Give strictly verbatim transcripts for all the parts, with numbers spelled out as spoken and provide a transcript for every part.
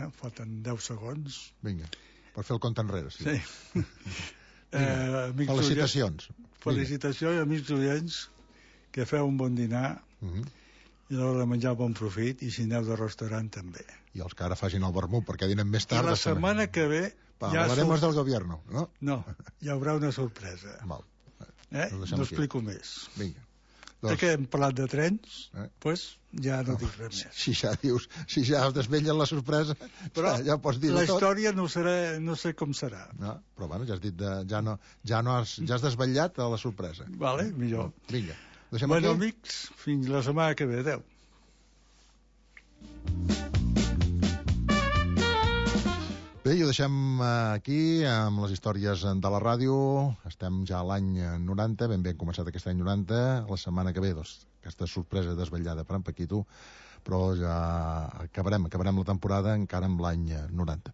Eh, falten deu segons. Vinga, per fer el compte enrere. Sí. Sí. eh, Felicitacions. Oients, felicitacions, amics oients, que feu un bon dinar uh -huh. i a l'hora de menjar bon profit, i si aneu de restaurant també. I els que ara facin el vermut perquè dinen més tard. I la setmana que ve... Hablaremos ja del gobierno, no? No, hi haurà una sorpresa. Val. Eh? No explico aquí. Més. Vinga. Doncs... que hem parlat de trens, eh? pues ja no, no dic res més. Si ja dius, si ja es desvellen la sorpresa, però ja, ja pots dir la història no, serà, no sé com serà. No, però bueno, ja has dit, de, ja, no, ja, no has, ja has desvetllat a la sorpresa. Vale, millor. Vinga. Bueno, aquí? Amics, fins la setmana que ve. Adéu. Bé, i ho deixem aquí amb les històries de la ràdio. Estem ja a l'any noranta, ben bé hem començat aquest any noranta. La setmana que ve, doncs, aquesta sorpresa desvetllada per en Paquito, però ja acabarem, acabarem la temporada encara amb l'any noranta.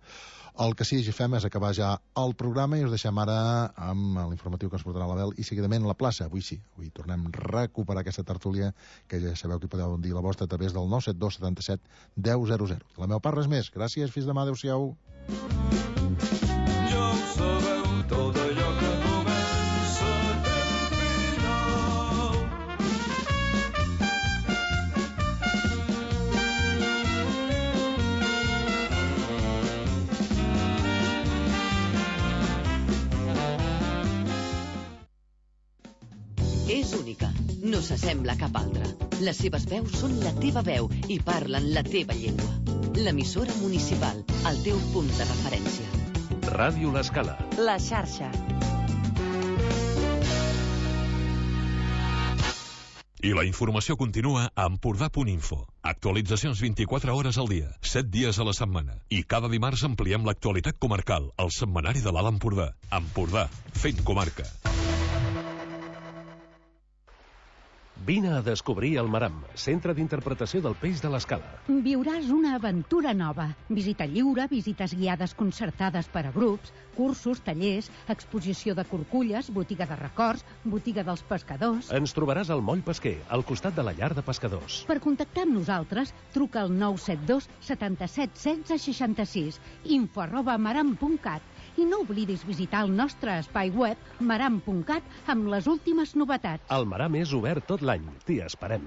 El que sí que fem és acabar ja el programa i us deixem ara amb l'informatiu que ens portarà l'Abel i seguidament la plaça. Avui sí, avui tornem a recuperar aquesta tertúlia que ja sabeu que podeu dir la vostra a través del nou set dos setanta set deu zero zero. La meva part, res més. Gràcies, fins demà, adeu-siau. Ja ho sabeu, tot allò que comença té un final. És única, no s'assembla a cap altra. Les seves veus són la teva veu i parlen la teva llengua. L'emissora municipal, el teu punt de referència. Ràdio L'Escala. La xarxa. I la informació continua a Empordà punt info. Actualitzacions vint-i-quatre hores al dia, set dies a la setmana. I cada dimarts ampliem l'actualitat comarcal, al setmanari de l'Alt Empordà. Empordà, fent comarca. Vine a descobrir el Maram, centre d'interpretació del peix de l'Escala. Viuràs una aventura nova. Visita lliure, visites guiades concertades per a grups, cursos, tallers, exposició de corculles, botiga de records, botiga dels pescadors... Ens trobaràs al Moll Pesquer, al costat de la llar de pescadors. Per contactar amb nosaltres, truca al nou set dos setanta-set setze seixanta-sis, info arroba maram punt cat. I no oblidis visitar el nostre espai web maram punt cat amb les últimes novetats. El Maram és obert tot l'any. T'hi esperem.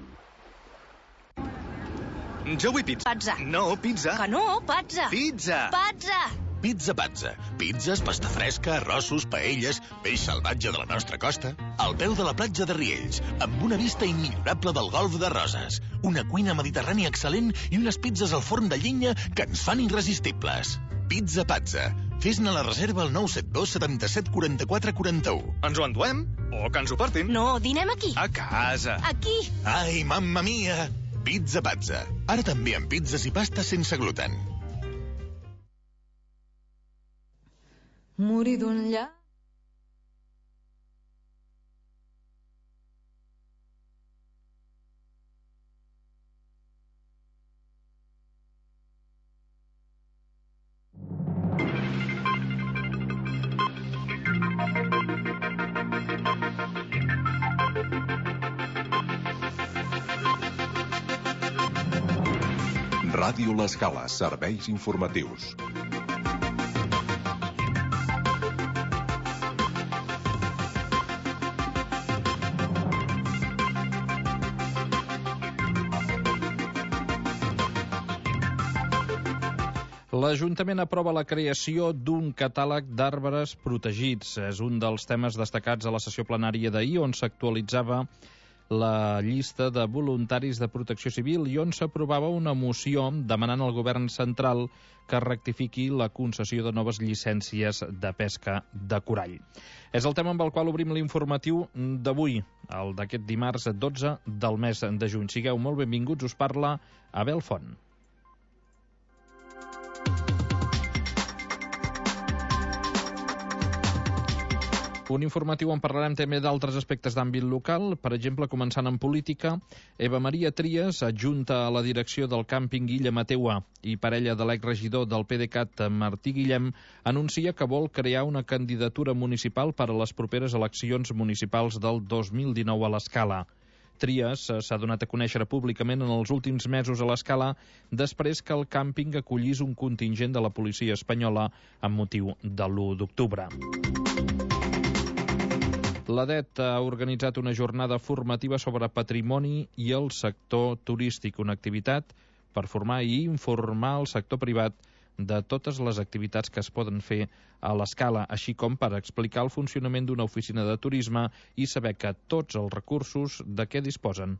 Jo vull pizza. Pazza. No, pizza. Que no, pazza. Pizza. Pazza. Pizza Pazza. Pizzas, pasta fresca, arrossos, paelles, peix salvatge de la nostra costa, al peu de la platja de Riells, amb una vista immillorable del golf de Roses, una cuina mediterrània excel·lent i unes pizzas al forn de llenya que ens fan irresistibles. Pizza Pazza. Fes-ne la reserva al nou set dos setanta-set quaranta-quatre quaranta-u. Ens ho enduem? O que ens ho portin? No, dinem aquí. A casa. Aquí. Ai, mamma mia! Pizza Pazza. Ara també amb pizzas i pastes sense gluten. Morir d'un llac. Ràdio L'Escala, serveis informatius. L'Ajuntament aprova la creació d'un catàleg d'arbres protegits. És un dels temes destacats a la sessió plenària d'ahir, on s'actualitzava la llista de voluntaris de protecció civil i on s'aprovava una moció demanant al govern central que rectifiqui la concessió de noves llicències de pesca de corall. És el tema amb el qual obrim l'informatiu d'avui, el d'aquest dimarts dotze del mes de juny. Sigueu molt benvinguts, us parla Abel Font. Un informatiu on parlarem també d'altres aspectes d'àmbit local, per exemple, començant en política. Eva Maria Trias, adjunta a la direcció del càmping Illa Mateua i parella de l'exregidor del P D C A T, Martí Guillem, anuncia que vol crear una candidatura municipal per a les properes eleccions municipals del dos mil dinou a l'Escala. Trias s'ha donat a conèixer públicament en els últims mesos a l'Escala després que el càmping acollís un contingent de la policia espanyola amb motiu de l'u d'octubre. La D E T ha organitzat una jornada formativa sobre patrimoni i el sector turístic, una activitat per formar i informar el sector privat de totes les activitats que es poden fer a l'Escala, així com per explicar el funcionament d'una oficina de turisme i saber que tots els recursos de què disposen.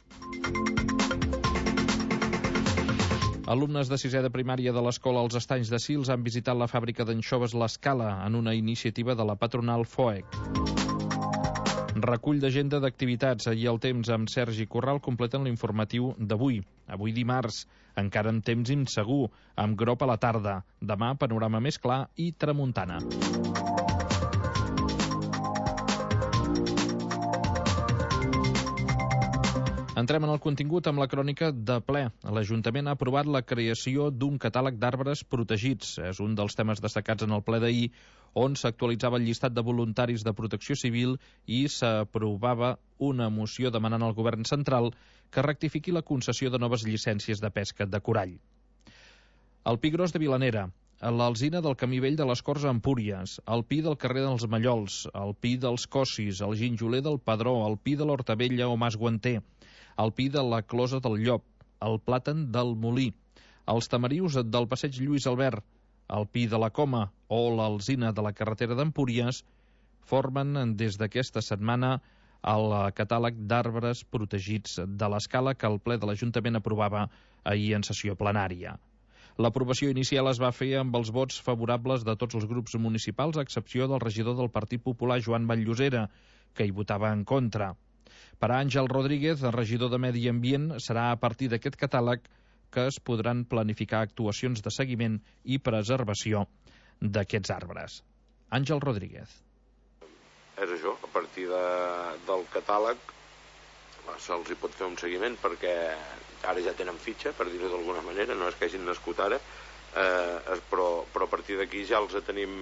Alumnes de sisè de primària de l'Escola Els Estanys de Sils han visitat la fàbrica d'anxoves l'Escala en una iniciativa de la patronal F O E C. Recull d'agenda d'activitats i el temps amb Sergi Corral completen l'informatiu d'avui. Avui dimarts, encara amb temps insegur, amb grop a la tarda. Demà, panorama més clar i tramuntana. Entrem en el contingut amb la crònica de ple. L'Ajuntament ha aprovat la creació d'un catàleg d'arbres protegits. És un dels temes destacats en el ple d'ahir, on s'actualitzava el llistat de voluntaris de protecció civil i s'aprovava una moció demanant al govern central que rectifiqui la concessió de noves llicències de pesca de corall. El Pi Gros de Vilanera, l'alzina del Camí Vell de les Corts a Empúries, el pi del carrer dels Mallols, el pi dels Cossis, el ginjoler del Padró, el pi de l'Hortavella o Mas Guanter, el pi de la Closa del Llop, el plàtan del Molí, els tamarius del passeig Lluís Albert, el pi de la Coma o l'alzina de la carretera d'Empúries formen des d'aquesta setmana el catàleg d'arbres protegits de l'Escala que el ple de l'Ajuntament aprovava ahir en sessió plenària. L'aprovació inicial es va fer amb els vots favorables de tots els grups municipals, a excepció del regidor del Partit Popular, Joan Vall-llosera, que hi votava en contra. Per a Àngel Rodríguez, el regidor de Medi Ambient, serà a partir d'aquest catàleg que es podran planificar actuacions de seguiment i preservació d'aquests arbres. Àngel Rodríguez. És això, a partir de, del catàleg se'ls hi pot fer un seguiment perquè ara ja tenen fitxa, per dir-ho d'alguna manera, no és que hagin nascut ara, eh, però, però a partir d'aquí ja els tenim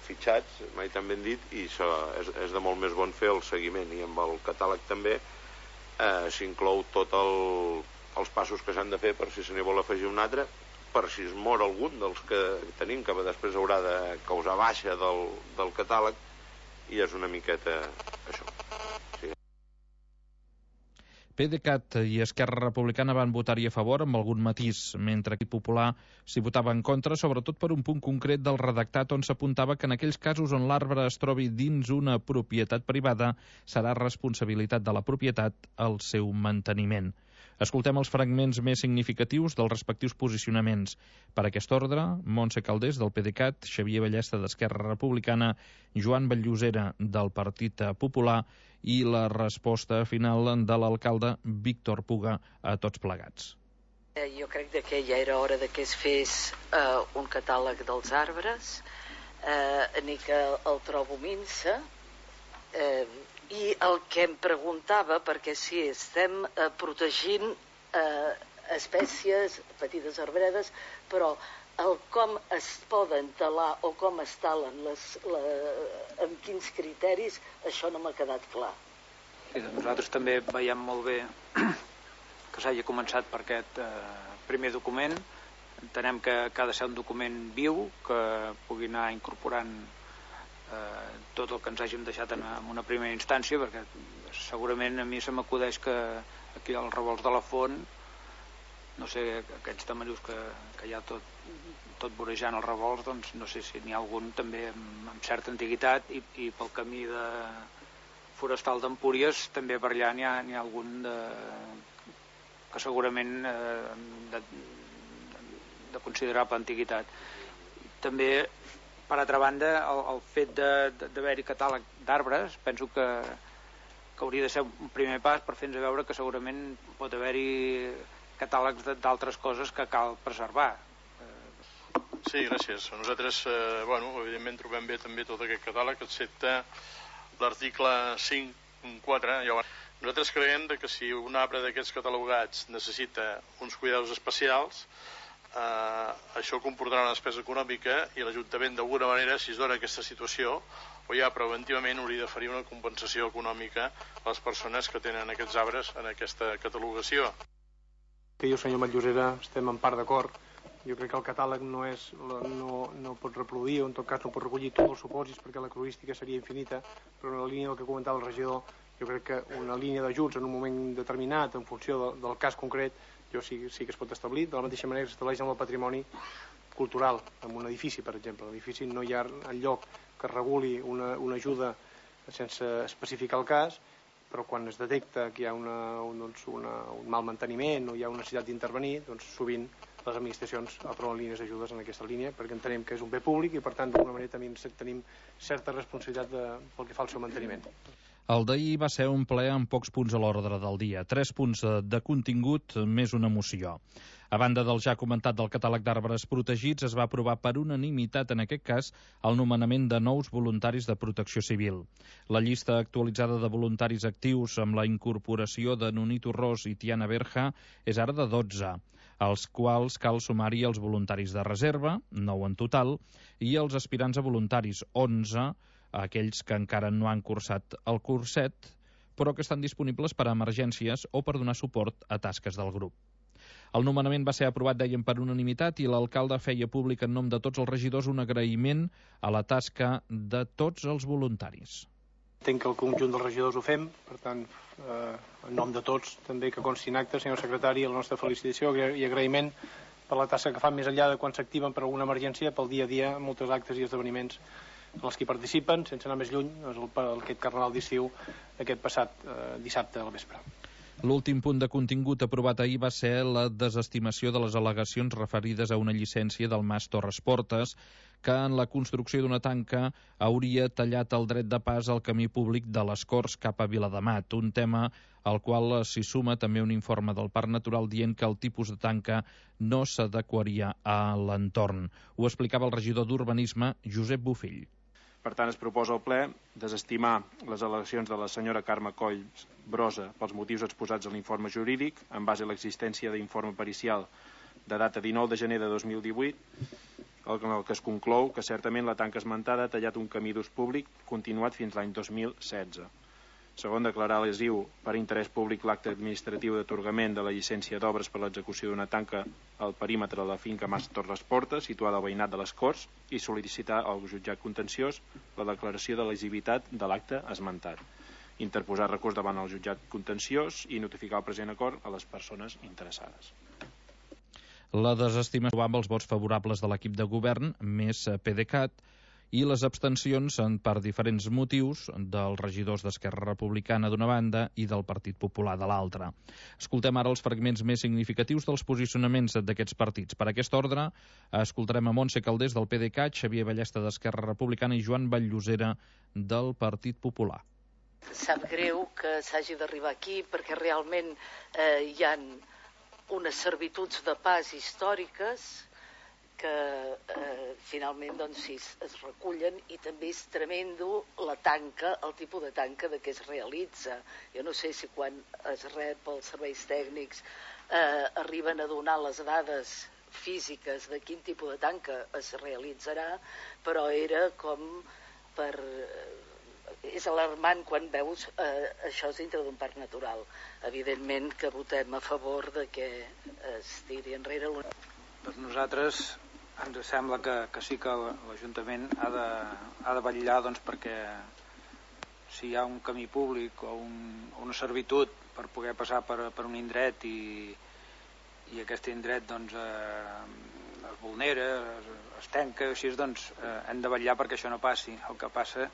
fitxats, mai tan ben dit, i això és, és de molt més bon fer el seguiment, i amb el catàleg també eh, s'inclou tot el els passos que s'han de fer per si se n'hi vol afegir un altre, per si es mor algun dels que tenim, que després haurà de causar baixa del, del catàleg, i és una miqueta això. Sí. PDeCAT i Esquerra Republicana van votar-hi a favor amb algun matís, mentre que el Popular s'hi votava en contra, sobretot per un punt concret del redactat on s'apuntava que en aquells casos on l'arbre es trobi dins una propietat privada serà responsabilitat de la propietat el seu manteniment. Escoltem els fragments més significatius dels respectius posicionaments. Per aquest ordre, Montse Caldés, del PDeCAT, Xavier Ballesta, d'Esquerra Republicana, Joan Vall-llosera, del Partit Popular, i la resposta final de l'alcalde Víctor Puga a tots plegats. Jo crec que ja era hora de que es fes eh, un catàleg dels arbres, eh, ni que el trobo minsa, eh, i el que em preguntava, perquè sí, estem eh, protegint eh, espècies, petites arbredes, però el com es poden talar o com es talen, les, la, amb quins criteris, això no m'ha quedat clar. Sí, doncs nosaltres també veiem molt bé que s'hagi començat per aquest eh, primer document. Entenem que, que ha de ser un document viu, que pugui anar incorporant Eh, tot el que ens hàgim deixat en, en una primera instància, perquè segurament a mi se m'acudeix que aquí als revolts de la Font, no sé, aquests tamarius que, que hi ha tot, tot vorejant els revolts, doncs no sé si n'hi ha algun també amb, amb certa antiguitat, i, i pel camí de forestal d'Empúries també per allà n'hi ha, n'hi ha algun de, que segurament eh, de, de considerable antiguitat. També, per altra banda, el, el fet d'haver-hi catàleg d'arbres, penso que, que hauria de ser un primer pas per fer-nos veure que segurament pot haver-hi catàlegs d'altres coses que cal preservar. Sí, gràcies. Nosaltres, eh, bueno, evidentment trobem bé també tot aquest catàleg, excepte l'article cinc punt quatre. Nosaltres creiem que si un arbre d'aquests catalogats necessita uns cuidados especials, eh, això comportarà una despesa econòmica i l'Ajuntament d'alguna manera, si es dona aquesta situació, o ja preventivament hauria d'oferir una compensació econòmica a les persones que tenen aquests arbres en aquesta catalogació. Que jo, senyor Matllosera, estem en part d'acord. Jo crec que el catàleg no, és, no, no pot reproduir, o en tot cas no pot recollir tots els supòsits, perquè la cruística seria infinita, però en la línia del que comentava el regidor, jo crec que una línia d'ajuts en un moment determinat, en funció de, del cas concret, jo sí, sí que es pot establir, de la mateixa manera que s'estableix amb el patrimoni cultural, en un edifici, per exemple. L'edifici no hi ha enlloc que reguli una, una ajuda sense especificar el cas, però quan es detecta que hi ha una, un, doncs una, un mal manteniment o hi ha una necessitat d'intervenir, doncs sovint les administracions aproven línies d'ajudes en aquesta línia perquè entenem que és un bé públic i per tant d'alguna manera també tenim certa responsabilitat de, pel que fa al seu manteniment. El d'ahir va ser un ple amb pocs punts a l'ordre del dia, tres punts de contingut més una moció. A banda del ja comentat del catàleg d'arbres protegits, es va aprovar per unanimitat, en aquest cas, el nomenament de nous voluntaris de protecció civil. La llista actualitzada de voluntaris actius amb la incorporació de Nonito Ros i Tiana Berja és ara de dotze, als quals cal sumar-hi els voluntaris de reserva, nou en total, i els aspirants a voluntaris, onze, aquells que encara no han cursat el curset, però que estan disponibles per a emergències o per donar suport a tasques del grup. El nomenament va ser aprovat, dèiem, per unanimitat i l'alcalde feia públic en nom de tots els regidors un agraïment a la tasca de tots els voluntaris. Entenc que el conjunt dels regidors ho fem, per tant, eh, en nom de tots, també que consti en acte, senyor secretari, la nostra felicitació i agraïment per la tasca que fan més enllà de quan s'activen per alguna emergència, pel dia a dia, molts actes i esdeveniments en els que participen, sense anar més lluny, és el, aquest carnaval d'estiu aquest passat eh, dissabte al vespre. L'últim punt de contingut aprovat ahir va ser la desestimació de les al·legacions referides a una llicència del Mas Torres Portes que en la construcció d'una tanca hauria tallat el dret de pas al camí públic de les Corts cap a Viladamat, un tema al qual s'hi suma també un informe del Parc Natural dient que el tipus de tanca no s'adequaria a l'entorn. Ho explicava el regidor d'Urbanisme, Josep Bofill. Per tant, es proposa al ple desestimar les al·legacions de la senyora Carme Coll Brosa pels motius exposats en l'informe jurídic, en base a l'existència d'informe pericial de data dinou de gener de dos mil divuit, en el que es conclou que certament la tanca esmentada ha tallat un camí d'ús públic continuat fins l'any dos mil setze. Segon, declarar lesiu per interès públic l'acte administratiu d'atorgament de la llicència d'obres per l'execució d'una tanca al perímetre de la finca Mas Torres Portes, situada al veïnat de les Corts, i sol·licitar al jutjat contenciós la declaració de lesivitat de l'acte esmentat. Interposar recurs davant el jutjat contenciós i notificar el present acord a les persones interessades. La desestimació amb els vots favorables de l'equip de govern, més PDeCAT, i les abstencions per diferents motius dels regidors d'Esquerra Republicana d'una banda i del Partit Popular de l'altra. Escoltem ara els fragments més significatius dels posicionaments d'aquests partits. Per aquest ordre, escoltarem a Montse Caldés del PDeCAT, Xavier Ballesta d'Esquerra Republicana i Joan Vallllosera del Partit Popular. Sap greu que s'hagi d'arribar aquí perquè realment eh, hi ha unes servituds de pas històriques que eh, finalment doncs, sí, es recullen i també és tremendo la tanca, el tipus de tanca de què es realitza. Jo no sé si quan es rep els serveis tècnics eh, arriben a donar les dades físiques de quin tipus de tanca es realitzarà, però era com per... és alarmant quan veus eh, això és dintre d'un parc natural. Evidentment que votem a favor de que es tiri enrere. Per nosaltres ens sembla que, que sí que l'Ajuntament ha de, ha de vetllar doncs, perquè si hi ha un camí públic o un, una servitud per poder passar per, per un indret i, i aquest indret doncs, eh, es vulnera, es, es tanca, així, doncs, eh, hem de vetllar perquè això no passi. El que passa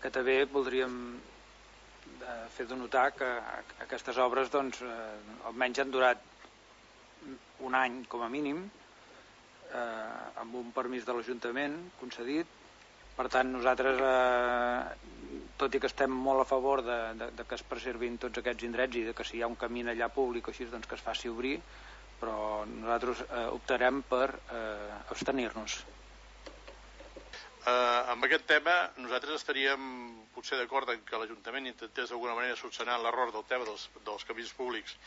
que també voldríem fer de notar que aquestes obres doncs, eh, almenys han durat un any com a mínim, eh, amb un permís de l'Ajuntament concedit. Per tant, nosaltres, eh, tot i que estem molt a favor de, de, de que es preservin tots aquests indrets i de que si hi ha un camí allà públic així, doncs que es faci obrir, però nosaltres eh, optarem per eh, abstenir-nos. Uh, amb aquest tema nosaltres estaríem potser d'acord en que l'Ajuntament intentés d'alguna manera solucionar l'error del tema dels, dels camins públics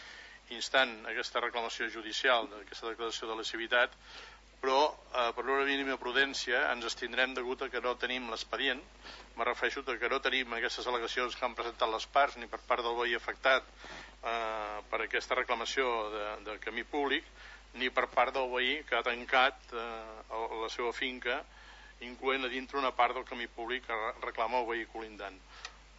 instant aquesta reclamació judicial, aquesta declaració de lesivitat, però eh, per una mínima prudència ens estindrem degut a que no tenim l'expedient. Me refereixo a que no tenim aquestes al·legacions que han presentat les parts ni per part del veí afectat eh, per aquesta reclamació de, de camí públic, ni per part del veí que ha tancat eh, la seva finca, incloent a dintre una part del camí públic que reclama el veí colindant.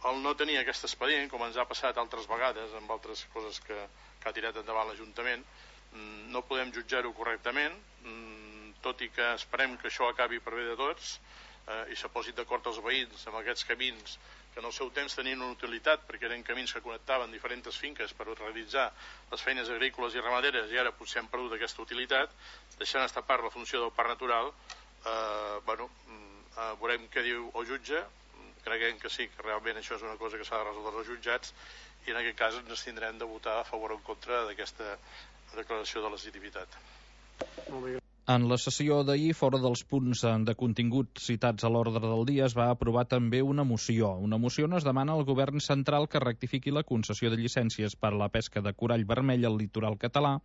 El no tenir aquest expedient, com ens ha passat altres vegades amb altres coses que, que ha tirat endavant l'Ajuntament, no podem jutjar-ho correctament, tot i que esperem que això acabi per bé de tots eh, i se posin d'acord els veïns amb aquests camins que en el seu temps tenien una utilitat perquè eren camins que connectaven diferents finques per realitzar les feines agrícoles i ramaderes i ara potser han perdut aquesta utilitat, deixant estar part la funció del parc natural. eh, bueno, eh, veurem què diu el jutge, creguem que sí, que realment això és una cosa que s'ha de resoldre als jutjats i en aquest cas ens tindrem de votar a favor o en contra d'aquesta declaració de legitimitat. Molt bé. En la sessió d'ahir, fora dels punts de contingut citats a l'ordre del dia, es va aprovar també una moció. Una moció on es demana al govern central que rectifiqui la concessió de llicències per a la pesca de corall vermell al litoral català,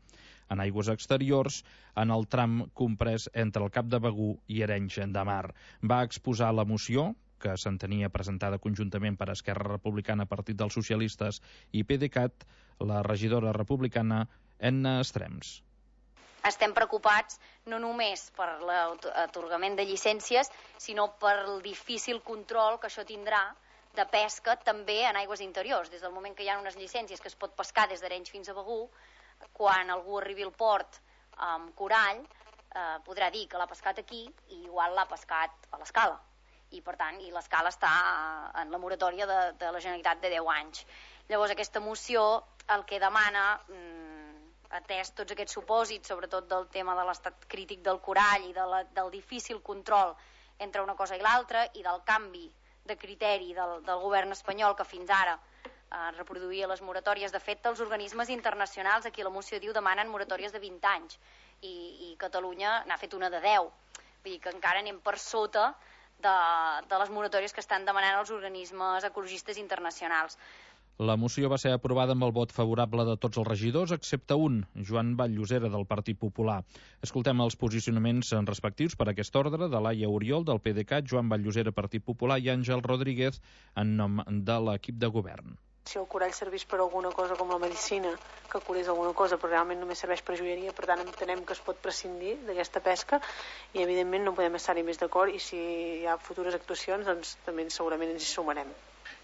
en aigües exteriors, en el tram comprès entre el Cap de Begur i Arenys de Mar. Va exposar la moció, que s'entenia presentada conjuntament per Esquerra Republicana, Partit dels Socialistes i PDeCAT, la regidora republicana Enna Estrems. Estem preocupats no només per l'atorgament de llicències, sinó per el difícil control que això tindrà de pesca també en aigües interiors. Des del moment que hi ha unes llicències que es pot pescar des d'Arenys fins a Begur, quan algú arribi al port amb corall, eh, podrà dir que l'ha pescat aquí i igual l'ha pescat a l'Escala. I, per tant, i l'Escala està en la moratòria de, de la Generalitat de deu anys. Llavors, aquesta moció el que demana, atès tots aquests supòsits, sobretot del tema de l'estat crític del corall i de la, del difícil control entre una cosa i l'altra i del canvi de criteri del, del govern espanyol que fins ara eh, reproduïa les moratòries. De fet, els organismes internacionals, aquí la moció diu, demanen moratòries de vint anys i, i Catalunya n'ha fet una de deu. Vull dir que encara anem per sota de, de les moratòries que estan demanant els organismes ecologistes internacionals. La moció va ser aprovada amb el vot favorable de tots els regidors, excepte un, Joan Vall-llosera, del Partit Popular. Escoltem els posicionaments respectius per aquest ordre de Laia Oriol, del PDeCAT, Joan Vall-llosera, Partit Popular, i Àngel Rodríguez, en nom de l'equip de govern. Si el corall serveix per alguna cosa com la medicina, que curés alguna cosa, però realment només serveix per joieria, per tant entenem que es pot prescindir d'aquesta pesca i evidentment no podem estar-hi més d'acord i si hi ha futures actuacions doncs també segurament ens hi sumarem.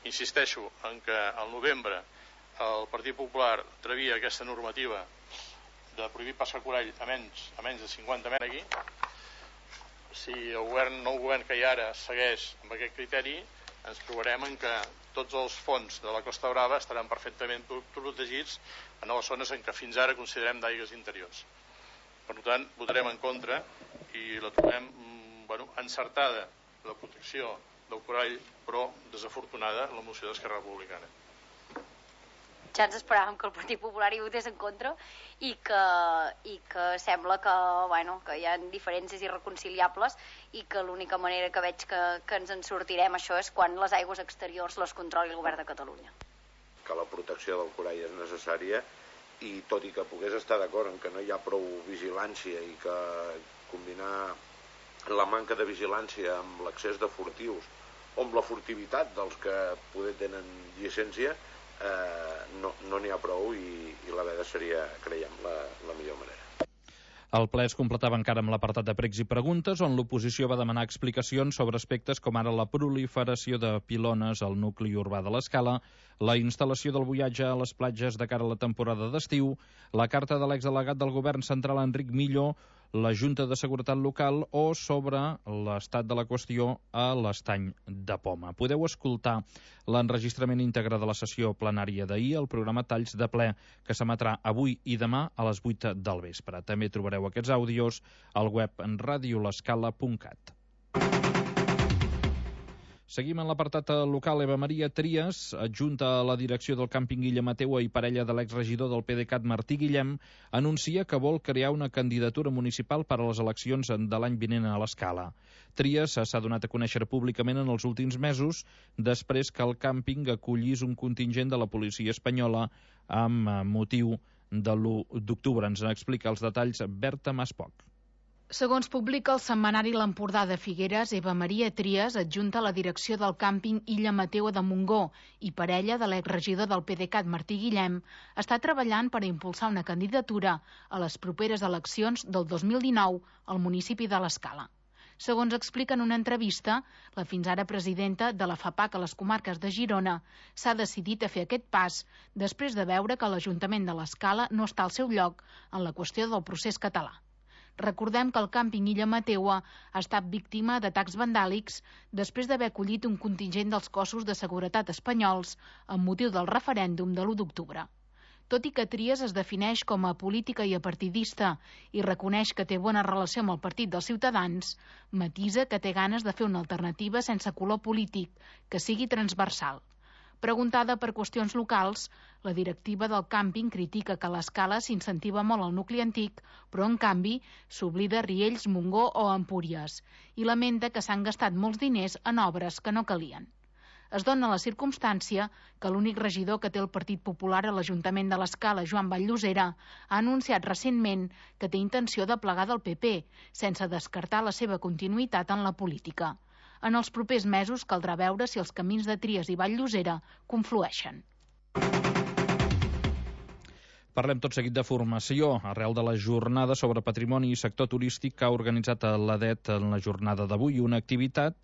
Insisteixo en que al novembre el Partit Popular atrevia aquesta normativa de prohibir passar corall a menys, a menys de cinquanta metres aquí. Si el govern, nou govern que hi ha ara segueix amb aquest criteri, ens trobarem en que tots els fons de la Costa Brava estaran perfectament protegits en les zones en què fins ara considerem d'aigües interiors. Per tant, votarem en contra i la trobem bueno, encertada la protecció del corall, però desafortunada la moció d'Esquerra Republicana. Ja ens esperàvem que el Partit Popular hi votés en contra i que, i que sembla que, bueno, que hi ha diferències irreconciliables i que l'única manera que veig que, que ens en sortirem això és quan les aigües exteriors les controli el govern de Catalunya. Que la protecció del corall és necessària i tot i que pogués estar d'acord en que no hi ha prou vigilància i que combinar la manca de vigilància amb l'accés de furtius o amb la furtivitat dels que poder tenen llicència eh, no no n'hi ha prou i, i la veda seria, creiem, la, la millor manera. El ple es completava encara amb l'apartat de pregs i preguntes, on l'oposició va demanar explicacions sobre aspectes com ara la proliferació de pilones al nucli urbà de l'Escala, la instal·lació del buiatge a les platges de cara a la temporada d'estiu, la carta de l'exdelegat del govern central Enric Millo, la Junta de Seguretat Local o sobre l'estat de la qüestió a l'Estany de Poma. Podeu escoltar l'enregistrament íntegre de la sessió plenària d'ahir, el programa Talls de ple, que s'emetrà avui i demà a les vuit del vespre. També trobareu aquests àudios al web radio l'escala punt cat. Seguim en l'apartat local. Eva Maria Trias, adjunta a la direcció del càmping Guillemateua i parella de l'exregidor del PDeCAT Martí Guillem, anuncia que vol crear una candidatura municipal per a les eleccions de l'any vinent a l'Escala. Trias s'ha donat a conèixer públicament en els últims mesos, després que el càmping acollís un contingent de la policia espanyola amb motiu de l'u d'octubre. Ens n'explica els detalls Berta Maspoc. Segons publica el setmanari L'Empordà de Figueres, Eva Maria Trias, adjunta a la direcció del càmping Illa Mateua de Montgó i parella de l'exregidor del PDeCAT Martí Guillem, està treballant per impulsar una candidatura a les properes eleccions del dos mil dinou al municipi de l'Escala. Segons explica en una entrevista, la fins ara presidenta de la FAPAC a les comarques de Girona s'ha decidit a fer aquest pas després de veure que l'Ajuntament de l'Escala no està al seu lloc en la qüestió del procés català. Recordem que el càmping Illa Mateua ha estat víctima d'atacs vandàlics després d'haver acollit un contingent dels cossos de seguretat espanyols amb motiu del referèndum de l'u d'octubre. Tot i que Trias es defineix com a política i apartidista i reconeix que té bona relació amb el Partit dels Ciutadans, matisa que té ganes de fer una alternativa sense color polític, que sigui transversal. Preguntada per qüestions locals, la directiva del càmping critica que a l'Escala s'incentiva molt el nucli antic, però en canvi s'oblida Riells, Montgó o Empúries, i lamenta que s'han gastat molts diners en obres que no calien. Es dona la circumstància que l'únic regidor que té el Partit Popular a l'Ajuntament de l'Escala, Joan Vall-llosera, ha anunciat recentment que té intenció de plegar del P P, sense descartar la seva continuïtat en la política. En els propers mesos caldrà veure si els camins de Trias i Vall-llosera conflueixen. Parlem tot seguit de formació. Arrel de la jornada sobre patrimoni i sector turístic que ha organitzat l'A D E T en la jornada d'avui, una activitat,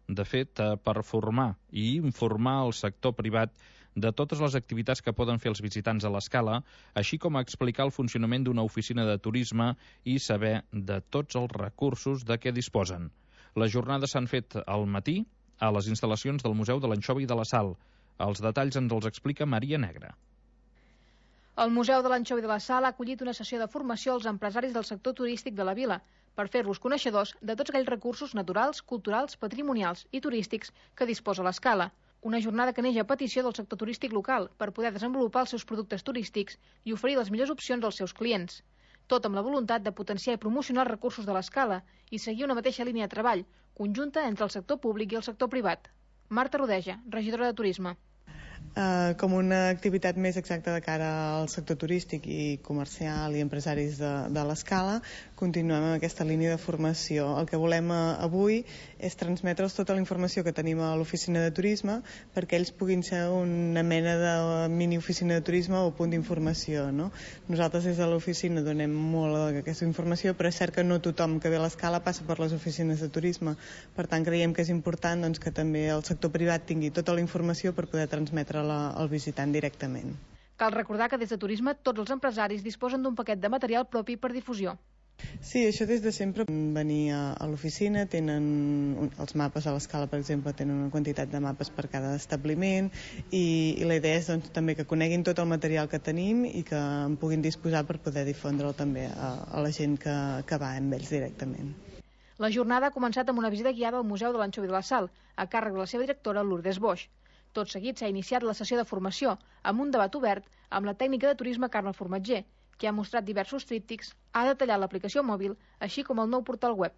de fet, per formar i informar el sector privat de totes les activitats que poden fer els visitants a l'Escala, així com explicar el funcionament d'una oficina de turisme i saber de tots els recursos de què disposen. Les jornades s'han fet al matí a les instal·lacions del Museu de l'Anxova i de la Sal. Els detalls ens els explica Maria Negra. El Museu de l'Anxova i de la Sal ha acollit una sessió de formació als empresaris del sector turístic de la vila per fer-los coneixedors de tots aquells recursos naturals, culturals, patrimonials i turístics que disposa l'Escala. Una jornada que neix a petició del sector turístic local per poder desenvolupar els seus productes turístics i oferir les millors opcions als seus clients. Tot amb la voluntat de potenciar i promocionar els recursos de l'Escala i seguir una mateixa línia de treball, conjunta entre el sector públic i el sector privat. Marta Rodeja, regidora de Turisme. Uh, com una activitat més exacta de cara al sector turístic i comercial i empresaris de, de l'Escala, continuem amb aquesta línia de formació. El que volem uh, avui és transmetre'ls tota la informació que tenim a l'oficina de turisme perquè ells puguin ser una mena de mini-oficina de turisme o punt d'informació, no? Nosaltres des de l'oficina donem molt d'aquesta informació, però és cert que no tothom que ve a l'Escala passa per les oficines de turisme. Per tant, creiem que és important doncs, que també el sector privat tingui tota la informació per poder transmetre al visitant directament. Cal recordar que des de Turisme tots els empresaris disposen d'un paquet de material propi per difusió. Sí, això des de sempre. Venir a l'oficina, tenen els mapes a l'Escala, per exemple, tenen una quantitat de mapes per cada establiment i, i la idea és doncs, també que coneguin tot el material que tenim i que en puguin disposar per poder difondre'l també a, a la gent que, que va amb ells directament. La jornada ha començat amb una visita guiada al Museu de l'Anxova i de la Sal, a càrrec de la seva directora Lourdes Boix. Tot seguit s'ha iniciat la sessió de formació amb un debat obert amb la tècnica de turisme Carme Formatger, que ha mostrat diversos tríptics, ha detallat l'aplicació mòbil, així com el nou portal web.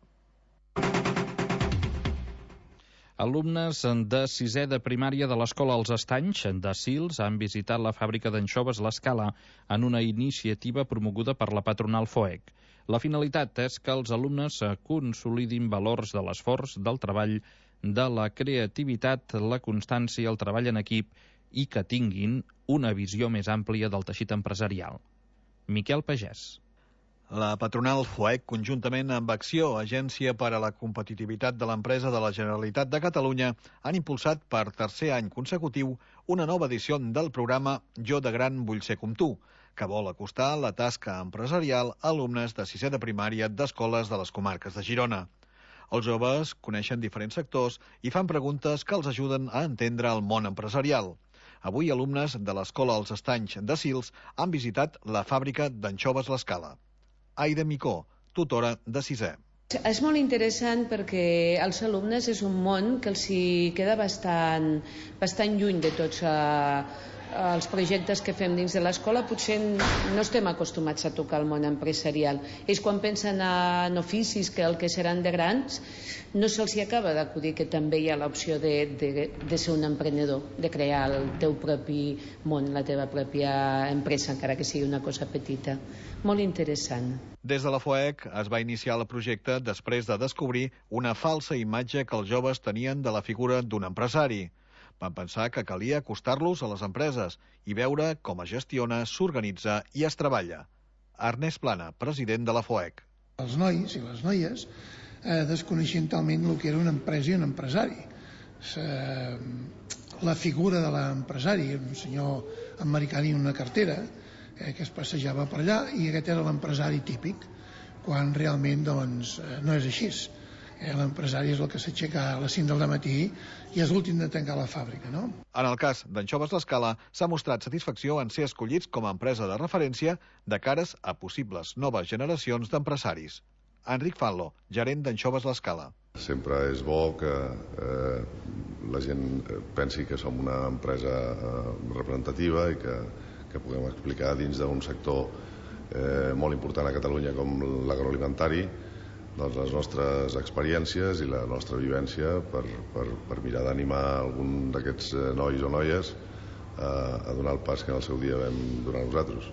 Alumnes de sisè de primària de l'Escola Els Estanys de Sils han visitat la fàbrica d'anxoves l'Escala en una iniciativa promoguda per la patronal FOEC. La finalitat és que els alumnes consolidin valors de l'esforç, del treball, de la creativitat, la constància, el treball en equip i que tinguin una visió més àmplia del teixit empresarial. Miquel Pagès. La patronal FOEC, conjuntament amb Acció, Agència per a la Competitivitat de l'Empresa de la Generalitat de Catalunya, han impulsat per tercer any consecutiu una nova edició del programa Jo de gran vull ser com tu, que vol acostar la tasca empresarial a alumnes de sisè de primària d'escoles de les comarques de Girona. Els joves coneixen diferents sectors i fan preguntes que els ajuden a entendre el món empresarial. Avui, alumnes de l'Escola Els Estanys de Sils han visitat la fàbrica d'anxoves l'Escala. Aida Micó, tutora de sisè. És molt interessant perquè els alumnes és un món que els hi queda bastant, bastant lluny de tots, uh, els projectes que fem dins de l'escola potser no estem acostumats a tocar el món empresarial. Ells quan pensen en oficis que el que seran de grans no se'ls acaba d'acudir que també hi ha l'opció de, de, de ser un emprenedor, de crear el teu propi món, la teva pròpia empresa, encara que sigui una cosa petita. Molt interessant. Des de la FOEC es va iniciar el projecte després de descobrir una falsa imatge que els joves tenien de la figura d'un empresari. Van pensar que calia acostar-los a les empreses i veure com es gestiona, s'organitza i es treballa. Ernest Plana, president de la FOEC. Els nois i les noies eh, desconeixien talment el que era una empresa i un empresari. Eh, la figura de l'empresari, un senyor americà en una cartera, eh, que es passejava per allà, i aquest era l'empresari típic, quan realment doncs, eh, no és així. Eh, L'empresari és el que s'aixeca a les cinc del matí i és l'últim de tancar la fàbrica, no? En el cas d'Anxoves l'Escala, s'ha mostrat satisfacció en ser escollits com a empresa de referència de cares a possibles noves generacions d'empresaris. Enric Fanlo, gerent d'Anxoves l'Escala. Sempre és bo que eh, la gent pensi que som una empresa eh, representativa i que, que puguem explicar dins d'un sector eh, molt important a Catalunya com l'agroalimentari doncs les nostres experiències i la nostra vivència per, per, per mirar d'animar algun d'aquests nois o noies a, a donar el pas que en el seu dia vam donar nosaltres.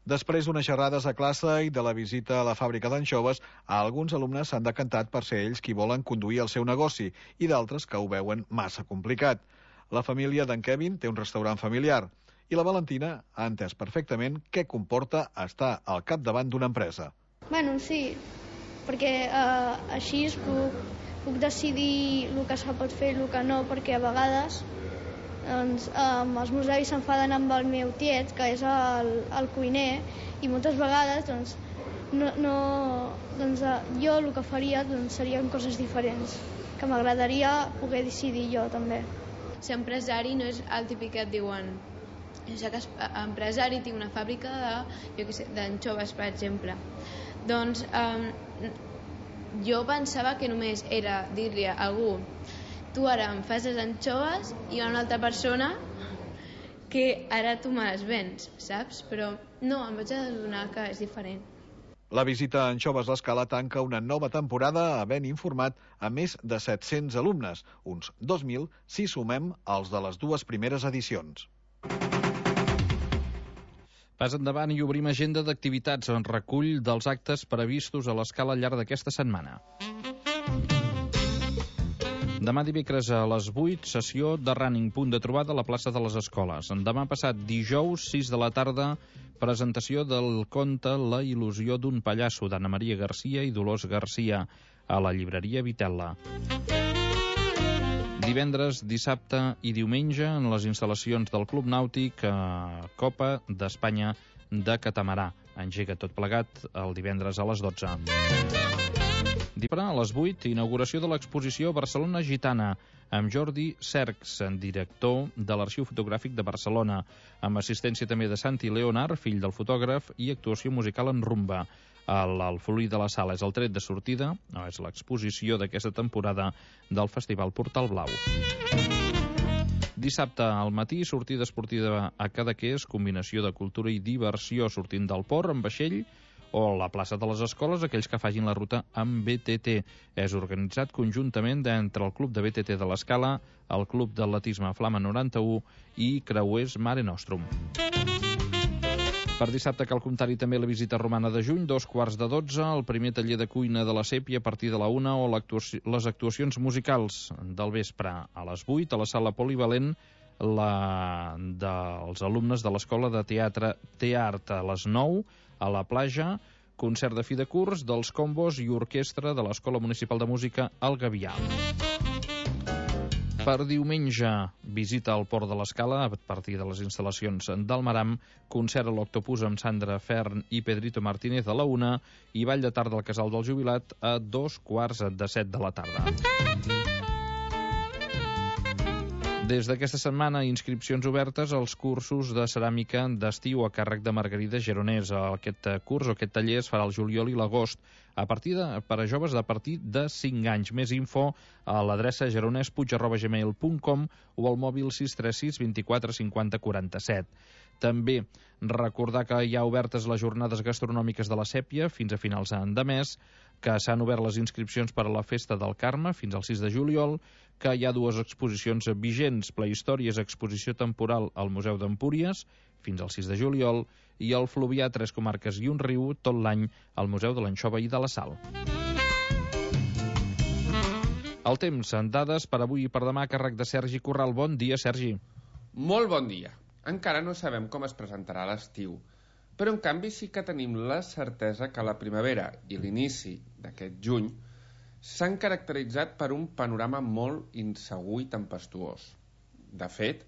Després d'unes xerrades a classe i de la visita a la fàbrica d'anxoves, alguns alumnes s'han decantat per ser ells qui volen conduir el seu negoci i d'altres que ho veuen massa complicat. La família d'en Kevin té un restaurant familiar i la Valentina ha entès perfectament què comporta estar al capdavant d'una empresa. Bueno, sí, perquè eh, així puc, puc decidir el que se pot fer i el que no, perquè a vegades doncs, eh, els meus avis s'enfaden amb el meu tiet, que és el, el cuiner, i moltes vegades doncs, no, no, doncs, eh, jo el que faria doncs, serien coses diferents, que m'agradaria poder decidir jo també. Ser empresari no és el típic que et diuen jo soc empresari, tinc una fàbrica de, jo què sé, d'anxoves, per exemple. Doncs um, jo pensava que només era dir-li a algú tu ara em fas les anxoves i a una altra persona que ara tu me les vens, saps? Però no, em vaig adonar que és diferent. La visita a Anxoves l'Escala tanca una nova temporada havent informat a més de set-cents alumnes, uns dos mil si sumem els de les dues primeres edicions. Pas endavant i obrim agenda d'activitats en recull dels actes previstos a l'Escala al llarg d'aquesta setmana. Demà dimecres a les vuit, sessió de running, punt de trobada a la plaça de les Escoles. Demà passat dijous, sis de la tarda, presentació del conte La il·lusió d'un pallasso d'Anna Maria Garcia i Dolors Garcia a la llibreria Vitella. Divendres, dissabte i diumenge en les instal·lacions del Club Nàutic a Copa d'Espanya de Catamarà. Engega tot plegat el divendres a les dotze. A les vuit, inauguració de l'exposició Barcelona Gitana amb Jordi Cercs, director de l'Arxiu Fotogràfic de Barcelona, amb assistència també de Santi Leonard, fill del fotògraf, i actuació musical en rumba. L'Alfolí de la Sala és el tret de sortida, no és l'exposició d'aquesta temporada del Festival Portal Blau. Dissabte al matí, sortida esportiva a Cadaqués, combinació de cultura i diversió sortint del port amb vaixell, o la plaça de les Escoles, aquells que facin la ruta amb B T T. És organitzat conjuntament entre el Club de B T T de l'Escala, el Club d'Atletisme Flama noranta-u i Creuers Mare Nostrum. Per dissabte cal comptar-hi també la visita romana de juny, dos quarts de dotze, el primer taller de cuina de la Sèpia a partir de la una o les actuacions musicals del vespre a les vuit a la sala polivalent la dels alumnes de l'Escola de Teatre Teart a les nou, a la Plaja, concert de fi de curs dels combos i orquestra de l'Escola Municipal de Música El Gavià. Per diumenge, visita al Port de l'Escala a partir de les instal·lacions del Maram, concert a l'Octopus amb Sandra Fern i Pedrito Martínez a la una i ball de tarda al Casal del Jubilat a dos quarts de set de la tarda. Des d'aquesta setmana, inscripcions obertes als cursos de ceràmica d'estiu a càrrec de Margarida Geronès. Aquest curs o aquest taller es farà al juliol i l'agost a partir de, per a joves de a partir de cinc anys. Més info a l'adreça geronespuig arroba gmail punt com o al mòbil sis tres sis vint quatre cinquanta quaranta-set. També recordar que hi ha obertes les jornades gastronòmiques de la Sèpia fins a finals de mes, que s'han obert les inscripcions per a la Festa del Carme fins al sis de juliol, que hi ha dues exposicions vigents, Prehistòries, exposició temporal al Museu d'Empúries, fins al sis de juliol, i el Fluvià, tres comarques i un riu, tot l'any al Museu de l'Anxova i de la Sal. El temps, en dades per avui i per demà, a càrrec de Sergi Corral. Bon dia, Sergi. Molt bon dia. Encara no sabem com es presentarà l'estiu, però en canvi sí que tenim la certesa que la primavera i l'inici d'aquest juny s'han caracteritzat per un panorama molt insegur i tempestuós. De fet,